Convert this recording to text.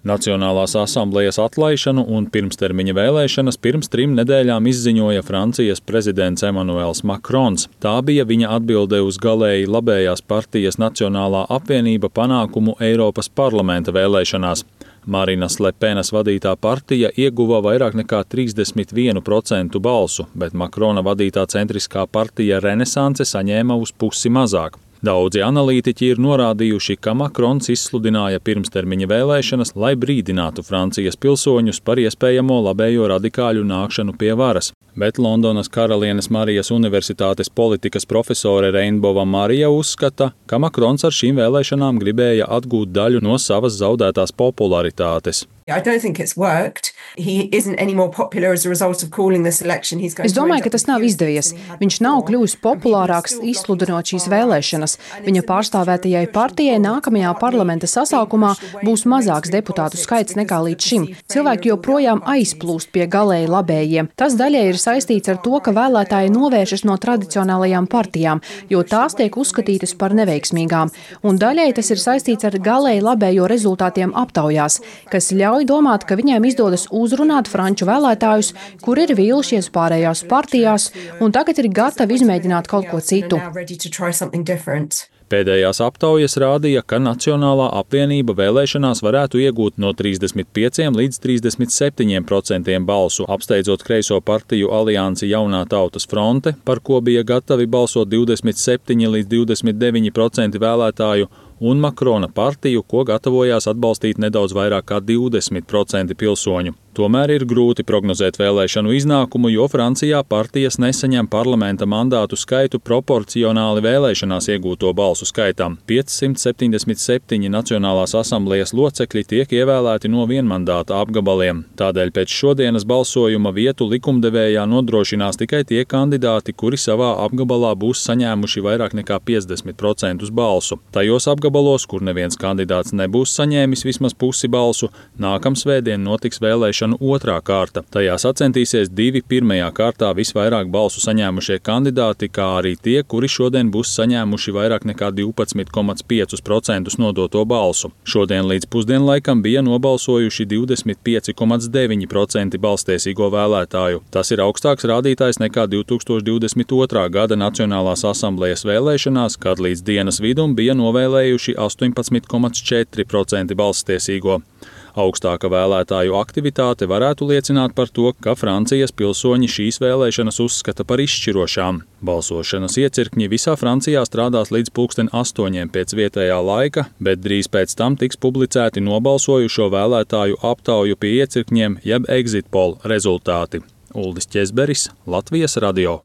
Nacionālās asamblejas atlaišanu un pirmstermiņa vēlēšanas pirms 3 nedēļām izziņoja Francijas prezidents Emmanuels Macrons. Tā bija viņa atbilde uz galēji labējās partijas Nacionālā apvienība panākumu Eiropas parlamenta vēlēšanās. Marinas Le Penas vadītā partija ieguva vairāk nekā 31% balsu, bet Macrona vadītā centriskā partija Renesanse saņēma uz pusi mazāk. Daudzi analītiķi ir norādījuši, ka Macrons izsludināja pirmstermiņa vēlēšanas, lai brīdinātu Francijas pilsoņus par iespējamo labējo radikāļu nākšanu pie varas. Bet Londonas Karalienes Marijas Universitātes politikas profesore Reinbova Marija uzskata, ka Macrons ar šīm vēlēšanām gribēja atgūt daļu no savas zaudētās popularitātes. Es domāju, ka tas nav izdevies. Viņš nav kļuvis populārāks izsludinot šīs vēlēšanas. Viņa pārstāvētajai partijai nākamajā parlamenta sasaukumā būs mazāks deputātu skaits nekā līdz šim. Cilvēki joprojām aizplūst pie galēji labējiem. Tas daļai ir saistīts ar to, ka vēlētāji novēršas no tradicionālajām partijām, jo tās tiek uzskatītas par neveiksmīgām. Un daļai tas ir saistīts ar galēji labējo rezultātiem aptaujās, kas ļauj domāt, ka viņiem izdodas uzrunāt franču vēlētājus, kuri ir vīlušies pārējās partijās un tagad ir gatavi izmēģināt kaut ko citu. Pēdējās aptaujas rādīja, ka Nacionālā apvienība vēlēšanās varētu iegūt no 35 līdz 37% balsu, apsteidzot kreiso partiju aliansi Jaunā tautas fronte, par ko bija gatavi balsot 27 līdz 29% vēlētāju, un Macrona partiju, ko gatavojās atbalstīt nedaudz vairāk kā 20% pilsoņu. Tomēr ir grūti prognozēt vēlēšanu iznākumu, jo Francijā partijas nesaņem parlamenta mandātu skaitu proporcionāli vēlēšanās iegūto balsu skaitam. 577 Nacionālās asamblejas locekļi tiek ievēlēti no vienmandāta apgabaliem. Tādēļ pēc šodienas balsojuma vietu likumdevējā nodrošinās tikai tie kandidāti, kuri savā apgabalā būs saņēmuši vairāk nekā 50% balsu. Tajos apgabalos, kur neviens kandidāts nebūs saņēmis vismaz pusi balsu, nākamsvētdien notiks vēlēšanu otrā kārta. Tajā sacensties 2 pirmajā kārtā visvairāk balsu saņēmušie kandidāti, kā arī tie, kuri šodien būs saņēmuši vairāk nekā 12,5% nodoto balsu. Šodien līdz pusdienlaikam bija nobalsojuši 25,9% balstiesīgo vēlētāju. Tas ir augstāks rādītājs nekā 2022. gada Nacionālās asamblejas vēlēšanās, kad līdz dienas vidum bija novēlējuši 18,4% balstiesīgo. Augstāka vēlētāju aktivitāte varētu liecināt par to, ka Francijas pilsoņi šīs vēlēšanas uzskata par izšķirošām. Balsošanas iecirkņi visā Francijā strādās līdz 8:00 pēc vietējā laika, bet drīz pēc tam tiks publicēti nobalsojušo vēlētāju aptauju pie iecirkņiem jeb exit poll rezultāti. Uldis Ķezberis, Latvijas radio.